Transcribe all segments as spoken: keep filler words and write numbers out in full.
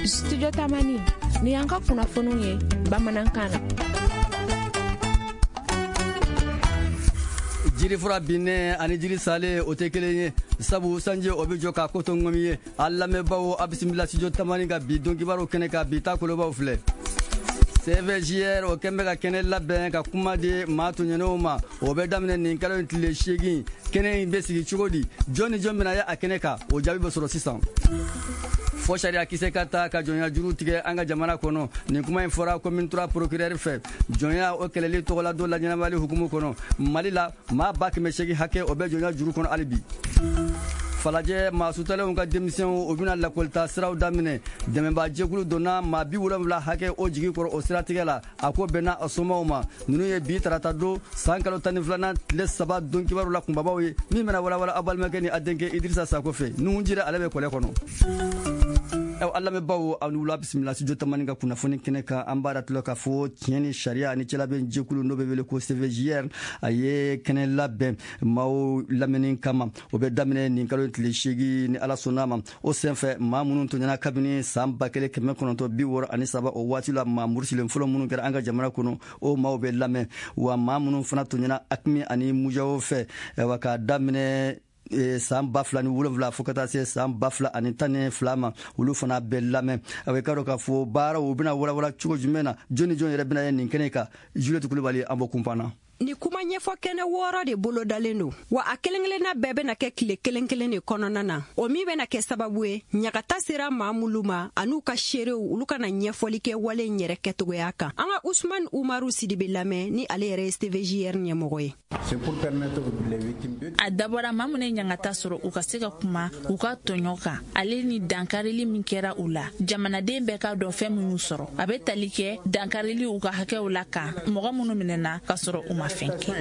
Studio Tamani ni y'an ka kunnafoniw ye bamanankan na. Jirifura binnen ani jiri salen, o tɛ kelen ye, sabu sanji o bɛ jɔ k'a ko to ŋɔmi ye. A lamɛnbaaw, a bisimila Studio Tamani ka bi don kibaru kɛnɛ kan. Bi ta kolobaw filɛ: C V J R o kɛn bɛ ka kɛnɛ labɛn ka kuma di maa tɔɲɔnenw ma. O bɛ daminɛ nin kalo in tile seegin. Kɛnɛ in bɛ sigi cogo di? Jɔn ni jɔn bɛna ye a kɛnɛ kan? O jaabi bɛ sɔrɔ sisan. Fɔ sariya kisɛ ka ta ka jɔnya juru tigɛ an ka jamana kɔnɔ. Nin kuma in fɔra commune trois procureur fɛ, jɔnya o kɛlɛli tɔgɔla don laɲɛnamali hukumu kɔnɔ. Mali la, maa ba kɛmɛ seegin hakɛ o bɛ jɔnya juru kɔnɔ hali bi. Falajɛ maa sutalenw ka denmisɛnw, o bɛna lakɔlita siraw daminɛ. Dɛmɛba jɛkulu donna maa bi wolonwula hakɛ o jigi kɔrɔ o siratigɛ la. A ko bɛnna a somaw ma. Ninnu ye bi tarata don san kalo tan ni filanan tile saba don kibaru la kunbabaw ye, min bɛna walawala aw balimakɛ ni a denkɛ Idirisa Sako fɛ. Nuhun Jire, ale bɛ kɔlɛ kɔnɔ. Aw lamɛnbaaw, aw ni wula, bisimila Studio Tamani ka kunnafoni kɛnɛ kan. An b'a datulɔ k'a fɔ tiɲɛ ni sariya ani cɛlabɛn jɛkulu, n'o bɛ wele ko C V J R, a ye kɛnɛ labɛn maaw lamɛnni kama. O bɛ daminɛ nin kalo tile seegin, ni Ala sɔnna ma. O senfɛ, maa minnu tɔɲɔna kabini san ba kelen kɛmɛ kɔnɔntɔn bi wɔɔrɔ ani saba, o waati la maa murusilen fɔlɔ minnu kɛra an ka jamana kɔnɔ, o maaw bɛ lamɛn wa. Maa minnu fana tɔɲɔna AQMI ani MUJAO fɛ, wa k'a daminɛ san ba fila ni wolonwula fo ka taa se san ba fila ani tan ni fila ma, olu fana bɛ lamɛn. A bɛ ka dɔn k'a fɔ baaraw u bɛna walawala cogo jumɛn na? Jɔn ni jɔn yɛrɛ bɛna ye nin kɛnɛ kan? Juliette Kulubali, an bɔ kunpan. Ni kuma ɲɛfɔ kɛnɛ wɔɔrɔ de bolodalen don wa, a kelen kelenna bɛɛ bɛna kɛ tile kelen kelen de kɔnɔna na. O min bɛna kɛ sababu ye, ɲagata sera maa minnu ma an'u ka seerew, olu kana ɲɛfɔli kɛ wale in yɛrɛ kɛtogoya kan. An ka Usman Umaru Sidibe lamɛn, ni ale yɛrɛ ye C V J R ɲɛmɔgɔ ye. A dabɔra maa minnu ye ɲangata sɔrɔ, u ka se ka kuma u ka tɔɲɔ kan, ale ni dankarili min kɛra u la. Jamanaden bɛɛ k'a dɔn fɛn minnu sɔrɔ. A bɛ tali kɛ dankarili u ka hakɛw la kan, mɔgɔ minnu minɛna ka sɔrɔ u ma fɛn kɛ.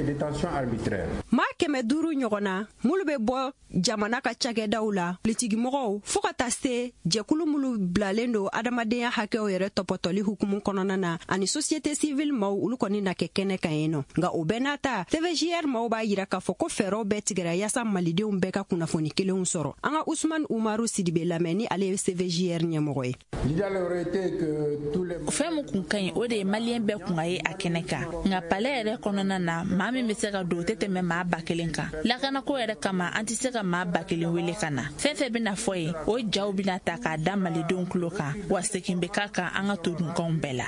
Maa kɛmɛ duuru ɲɔgɔn na minnu bɛ bɔ jamana ka cakɛdaw la, politikimɔgɔw, fɔɔ ka taa se jɛkulu minnu bilalen don adamadenya hakɛw yɛrɛ tɔpɔtɔli hukumu kɔnɔna na, ani société civile maw, olu kɔni na kɛ kɛnɛ kan yen nɔ. Nka o bɛɛ n'a ta, C V J R maw b'a yira k'a fɔ ko fɛɛrɛw bɛɛ tigɛra yaasa malidenw bɛɛ ka kunnafoni kelenw sɔrɔ. An ka Usman Umaru Sidibe lamɛn, ni ale ye C V J R ɲɛmɔgɔ ye. Fɛn min kun ka ɲi, o de ye maliyɛn bɛɛ kun ka ye a kɛnɛ kan. Nka palais yɛrɛ kɔnɔna na, maa min bɛ se ka don, o tɛ tɛmɛ maa ba kelen kan. Lakanako yɛrɛ kama, an tɛ se ka maa ba kelen wele ka na. Fɛn fɛn bɛna fɔ yen, o jaw bɛna ta k'a da malidenw tulo kan, wa segin bɛ k'a kan an ka todunkanw bɛɛ la.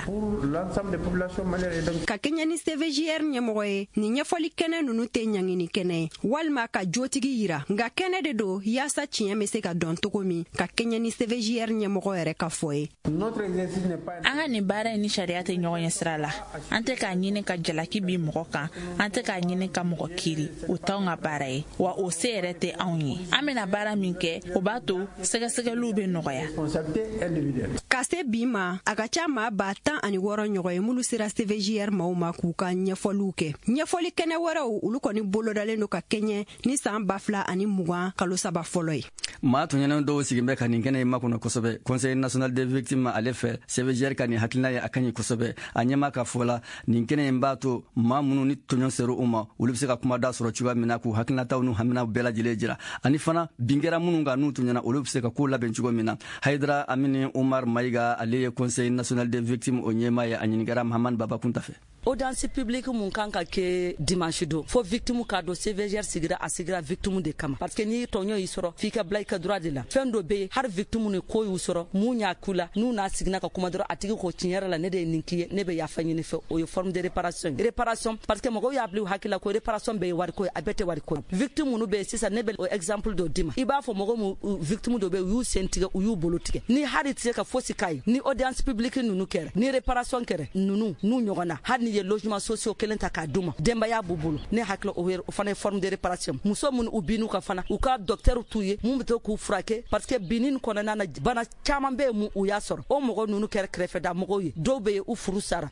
Ka kɛɲɛ ni C V J R ɲɛmɔgɔ ye, nin ɲɛfɔli kɛnɛ nunu tɛ ɲangini kɛnɛ ye walima ka jotigi yira, nka kɛnɛ de don yaasa tiɲɛ bɛ se ka dɔn cogo min, ka kɛɲɛ ni C V J R ɲɛmɔgɔ yɛrɛ ka fɔ ye. An ka nin baara in ni sariya tɛ ɲɔgɔn ɲɛ sira la. An tɛ k'a ɲini ka jalaki bin mɔgɔ kan, an tɛ k'a ɲini ka mɔgɔ kiri. O t'anw ka baara ye, wa o se yɛrɛ tɛ anw ye. An bɛna baara min kɛ, o b'a to sɛgɛsɛgɛliw bɛ nɔgɔya. Ka se bi ma, a ka ca maa ba tan ani wɔɔrɔ ɲɔgɔn ye minnu sera C V J R maaw ma k'u ka ɲɛfɔliw kɛ. Ɲɛfɔli kɛnɛ wɛrɛw, olu kɔni bolodalen don ka kɛɲɛ ni san ba fila ani mugan kalo saba fɔlɔ ye. Maa tɔɲɔnen dɔw sigin bɛ ka nin kɛnɛ in makɔnɔ kosɛbɛ. Conseil national des victimes ale fɛ, C V J R ka nin hakilina ye, a ka ɲi kosɛbɛ. A ɲɛma ka fɔ la, nin kɛnɛ in b'a to maa minnu ni tɔɲɔ sera u ma, olu bɛ se ka kuma da sɔrɔ cogoya min na, k'u hakilinataw n'u haminaw bɛɛ lajɛlen jira, ani fana bin kɛra minnu kan n'u tɔɲɔna, olu bɛ se ka ko labɛn cogo min na. Hayidara Amini Umar Mayiga, ale ye Conseil national des victimes o ɲɛmaa ye. A ɲininkara Mahamani Baba Kunta fɛ. Audience publique mun kan ka kɛ dimanche don, fo victime k'a dɔn C V G R sigira, a sigira victime de kama, parce que n'i tɔɲɔ y'i sɔrɔ, f'i ka bila i ka droit de la. Fɛn dɔ bɛ yen, hali victime ni ko y'u sɔrɔ, mun y'a k'u la, n'u n'a siginna ka kuma dɔrɔn, a tigi ko: "Tiɲɛ yɛrɛ la, ne de ye nin k'i ye, ne bɛ yafa ɲini fɛ." O ye forme de réparation ye. Réparation, parce que mɔgɔw y'a bila u hakili la ko réparation bɛɛ ye wariko ye, a bɛɛ tɛ wariko ye. Victime minnu bɛ yen sisan, ne bɛ o exemple dɔ d'i ma. I b'a fɔ mɔgɔ mun victime dɔ bɛ yen, u y'u sen tigɛ, u y'u bolo tigɛ, ni hali tɛ se ka fosi k'a ye. Ni audience publique ninnu kɛra, ni réparation kɛra, ninnu n'u ɲɔgɔn na, hali ni ye logement sociaux kelen ta k'a d'u ma, denbaya b'u bolo, ne hakili o o fana ye forme de réparation. Muso minnu u bin'u kan fana, u ka docteur t'u ye mun bɛ to k'u furakɛ, parce que binni kɔnɔna na, bana caman bɛ yen mun u y'a sɔrɔ. O mɔgɔ ninnu kɛra kɛrɛfɛda mɔgɔw ye, dɔw bɛ yen, u furu sara.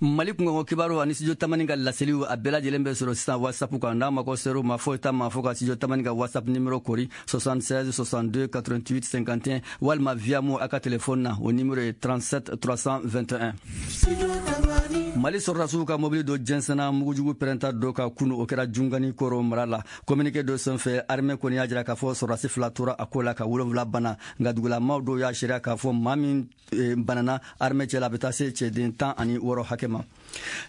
Mali kunkanko kibaru ani Studio Tamani ka laseliw, a bɛɛ lajɛlen bɛ sɔrɔ sisan WhatsApp kan. N'a mago ser'o ma, foyi t'a ma fo ka Studio Tamani ka WhatsApp numéro kori soixante-seize soixante-deux quatre-vingt-huit cinquante et un, walima via mo a ka téléphone na, o numéro ye trente-sept trois cent vingt et un. Mali sɔrɔdasiw ka mobili dɔ jɛnsɛnna mugujugu pɛrɛnta dɔ ka kunu, o kɛra Jungani Koro mara la. Communiqué dɔ senfɛ, armée kɔni y'a jira k'a fɔ sɔrɔdasi fila tora a ko la ka wolonwula bana, nka dugulamaw dɔw y'a seereya k'a fɔ maa min banana armée cɛ la, a bɛ taa se cɛden tan ani wɔɔrɔ hakɛ ma.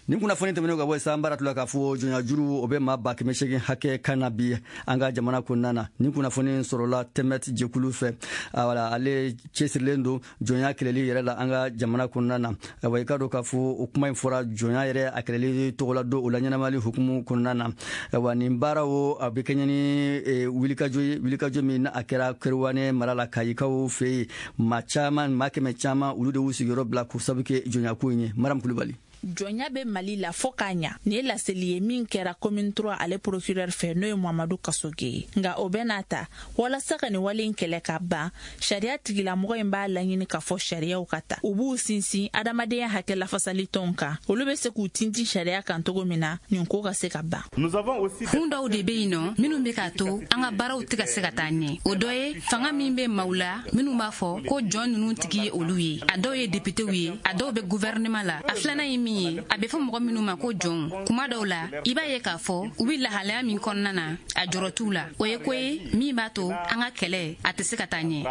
Nin kunnafoni tɛmɛnen ka bɔ yen, an baara tula k'a fɔ jɔnyajuru o bɛ maa ba kɛmɛ seegin hakɛ kan na bi an ka jamana kɔnɔna na. Nin kunnafoni sɔrɔla Tɛmɛt jɛkulu fɛ. Wala ale cɛsirilen don jɔnya kɛlɛli yɛrɛ la an ka jamana kɔnɔna na. Wa i ka dɔn k'a fɔ o kuma in fɔra jɔnya yɛrɛ a kɛlɛli tɔgɔla don o la ɲɛnamali hukumu kɔnɔna na. Wa nin baara o a bɛ kɛɲɛ ni wulikajɔ ye, wulikajɔ min a kɛra Kerouané mara la Kayikaw fɛ yen. Maa caman, maa kɛmɛ caman, olu de y'u sigiyɔrɔ bila k'o sabu kɛ jɔnyako in ye. Mariam Kulubali. Jɔnya bɛ Mali la fo k'a ɲa. Nin ye laseli ye min kɛra commune trois ale procureur fɛ, n'o ye Mamadu Kasoge ye. Nka o bɛ n'a ta, walasa ka nin wale in kɛlɛ ka ban, sariya tigilamɔgɔ in b'a laɲini k'a fɔ sariyaw ka ta, u b'u sinsin adamadenya hakɛ lafasali tɔnw kan, olu bɛ se k'u tintin sariya kan cogo min na nin ko ka se ka ban. Kun dɔw de bɛ yen nɔ minnu bɛ k'a to an ka baaraw tɛ ka se ka taa ɲɛ. O dɔ ye fanga min bɛ maaw la minnu b'a fɔ ko jɔn ninnu tigi ye olu ye, a dɔw ye députéw ye, a dɔw bɛ gouvernement la. A filanan ye min ye, a bɛ fɔ mɔgɔ minnu ma ko jɔnw, kuma dɔw la i b'a ye k'a fɔ u bɛ lahalaya min kɔnɔna na, a jɔrɔ t'u la. O ye ko ye min b'a to an ka kɛlɛ a tɛ se ka taa ɲɛ.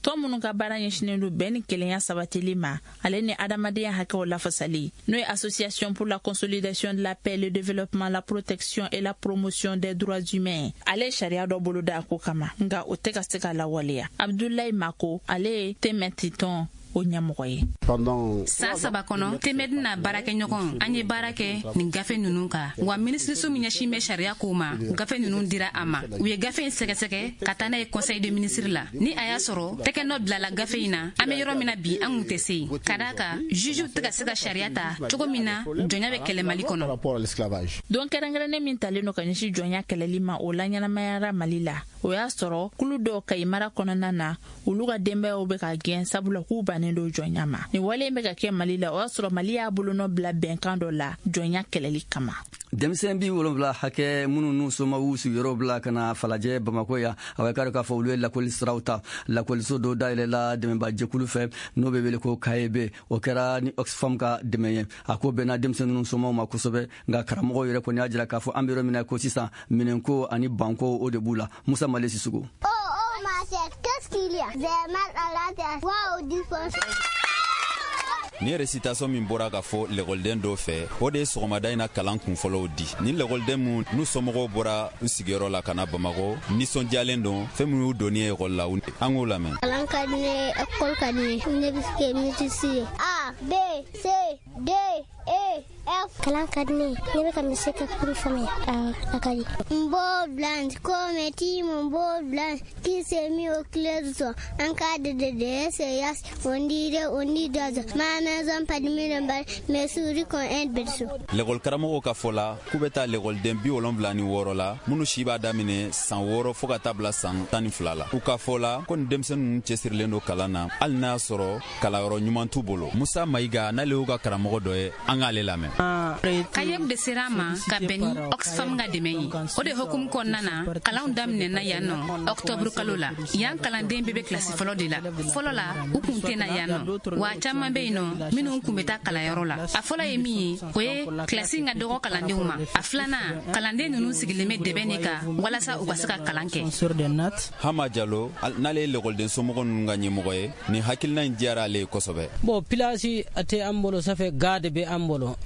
Tɔn minnu ka baara ɲɛsinnen don bɛn ni kelenya sabatili ma, ale ni adamadenya hakɛw lafasali, n'o ye Association pour la consolidation de la paix, le développement, la protection et la promotion des droits humains, ale ye sariya dɔ boloda a ko kama, nka o tɛ ka se ka lawaleya. Abdoulaye Mako, ale ye Tɛmɛti tɔn o ɲɛmɔgɔ ye. San saba kɔnɔ, Tɛmɛdi n'a baarakɛɲɔgɔn, an ye baara kɛ nin gafe ninnu kan. Wa minisiriso min ɲɛsin bɛ sariya kow ma, gafe ninnu dira a ma. U ye gafe in sɛgɛsɛgɛ ka taa n'a ye conseil de ministre la. Ni a y'a sɔrɔ tɛgɛ nɔ bilala gafe in na, an bɛ yɔrɔ min na bi, an kun tɛ se yen. Ka d'a kan jugew tɛ ka se ka sariya ta cogo min na jɔnya bɛ kɛlɛ Mali kɔnɔ. Don kɛrɛnkɛrɛnnen min talen don ka ɲɛsin jɔnya kɛlɛli ma, o laɲɛnamayara Mali la. O y'a sɔrɔ kulu dɔw Kayi mara kɔnɔna na, olu ka denbayaw bɛ ka gɛn sabula k'u bannen don jɔnya ma. Nin wale in bɛ ka kɛ Mali la, o y'a sɔrɔ Mali y'a bolonɔ bila bɛnkan dɔ la jɔnya kɛlɛli kama. Denmisɛn bi wolonwula hakɛ minnu n'u somaw y'u sigiyɔrɔ bila ka na Falajɛ Bamakɔ yan, a bɛ k'a k'a fɔ olu ye lakɔli siraw ta. Lakɔliso dɔ dayɛlɛla dɛmɛba jɛkulu fɛ n'o bɛ wele ko K E B, o kɛra ni Oxfam ka dɛmɛ ye. A ko bɛnna denmisɛn ninnu somaw ma kosɛbɛ, nka karamɔgɔw yɛrɛ kɔni y'a jira k'a fɔ an bɛ yɔrɔ min na ko sisan minɛnko ani banko o de b'u la. Musa Male Sisoko. Oh oh ma chère, qu'est-ce qu'il y a? J'ai mal à la tête. Waouh, du Ni récitation min bɔra ka fɔ lekɔliden dɔw fɛ, o de ye sɔgɔmada in na kalan kunfɔlɔw di. Ni lekɔliden mun n'u somɔgɔw bɔra u sigiyɔrɔ la ka na Bamakɔ, nisɔndiyalen don fɛn min y'u donni ye ekɔli la, an k'o lamɛn. Kalan ka di ne ye, ekɔli ka di ne ye, ne bɛ se kɛ musicien ye. A B C D E F. Kalan ka di ne ye, ne bɛ ka misi ka kuru faamuya, a ka di. N beau blanc, comme ti mon beau blanc, qui s'est mis au clair du soir. En cas de D D S S, on dirait on dit d'oiseau. Ma maison pas de mille mais souris qu'on un berceau. Lekɔli karamɔgɔw ka fɔ la k'u bɛ taa lekɔliden bi wolonwula ni wɔɔrɔ la minnu si b'a daminɛ san wɔɔrɔ fo ka taa bila san tan ni fila la. U ka fɔ la ko nin denmisɛnnin ninnu cɛsirilen don kalan na, hali n'a y'a sɔrɔ kalanyɔrɔ ɲuman t'u bolo. Musa Mayiga, n'ale y'u ka karamɔgɔ dɔ ye, an k'ale lamɛn. Kayeb de sera an ma ka bɛn ni Oxfam ka dɛmɛ ye. O de hukumu kɔnɔna na, kalanw daminɛna yan nɔ octobre kalo la. Yan kalanden bɛɛ bɛ kilasi fɔlɔ de la. Fɔlɔ la, u kun tɛ na yan nɔ, wa caman bɛ yen nɔ minnu kun bɛ taa kalanyɔrɔ la. A fɔlɔ ye min ye, o ye kilasi in ka dɔgɔ kalandenw ma. A filanan, kalanden ninnu sigilen bɛ dɛbɛn de kan walasa u ka se ka kalan kɛ. Hama Jalo, n'ale ye lekɔliden somɔgɔ ninnu ka ɲɛmɔgɔ ye, nin hakilina in diyara ale ye kosɛbɛ. Bon, pilasi a tɛ an bolo, safɛ ga de bɛ an bolo.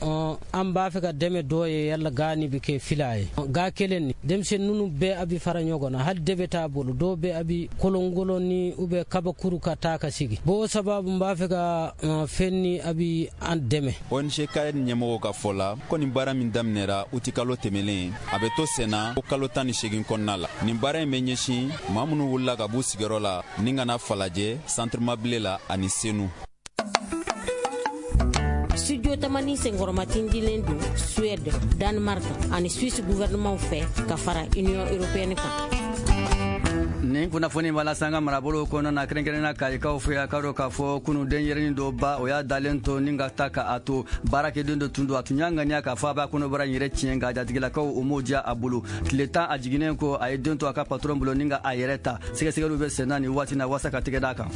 An b'a fɛ ka dɛmɛ dɔ ye, yala ga ni bɛ kɛ fila ye. Ga kelen ni denmisɛnnin ninnu bɛɛ a bɛ fara ɲɔgɔn na, hali dɛbɛ t'a bolo, dɔw bɛ a bɛ kolonkolon ni u bɛ kabakuru ka taa ka sigi. Bon, o sababu n b'a fɛ ka fɛn ni a bɛ an dɛmɛ. O N G K ɲɛmɔgɔw ka fɔ la ko nin baara min daminɛra uti kalo tɛmɛnen, a bɛ to senna ko kalo tan ni seegin kɔnɔna la. Nin baara in bɛ ɲɛsin maa minnu wulila ka b'u sigiyɔrɔ la ni ka na Falajɛ, Centre Mabile la ani Senu. Studio Tamani senkɔrɔmatindilen don Suède, Danemark ani Suisse gouvernement fɛ ka fara Union européenne kan. Nin kunnafoni b'a lase an ka marabolo kɔnɔna na, kɛrɛnkɛrɛnnenya Kayikaw fɛ yan. K'a dɔn k'a fɔ kunun denyɛrɛnin dɔ ba o y'a dalen to ni ka taa k'a to baarakɛden dɔ tun don. A tun y'a ŋaniya k'a fɔ a b'a kɔnɔbara in yɛrɛ tiɲɛ, nka jatigilakaw o m'o diya a bolo. Tile tan a jiginnen kɔ, a ye den to a ka patron bolo ni ka a yɛrɛ ta. Sɛgɛsɛgɛliw bɛ sen na nin waati na walasa ka tɛgɛ d'a kan.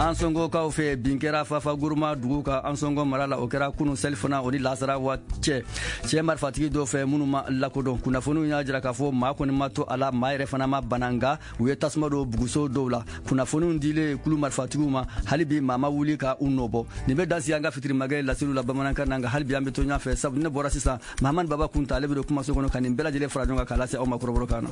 Ansongokaw fɛ bin kɛra Fafa Guruma dugu kan Ansongo mara la, o kɛra kunun selifana o ni lasara waati cɛ cɛ marifatigi dɔw fɛ minnu ma lakodɔn. Kunnafoniw y'a jira k'a fɔ maa kɔni ma to a la, maa yɛrɛ fana ma bana, nka u ye tasuma don buguso dɔw la. Kunnafoniw dilen kulu marifatigiw ma, hali bi maa ma wuli ka u nɔbɔ. Nin bɛ dan sigi an ka fitirimakɛ laseliw la bamanankan na, nka hali bi an bɛ to ɲɔgɔn fɛ, sabu ne bɔra sisan Mahamani Baba Kunta, ale bɛ don kumaso kɔnɔ ka nin bɛɛ lajɛlen fara ɲɔgɔn kan k'a lase aw ma kɔrɔbɔrɔkan na.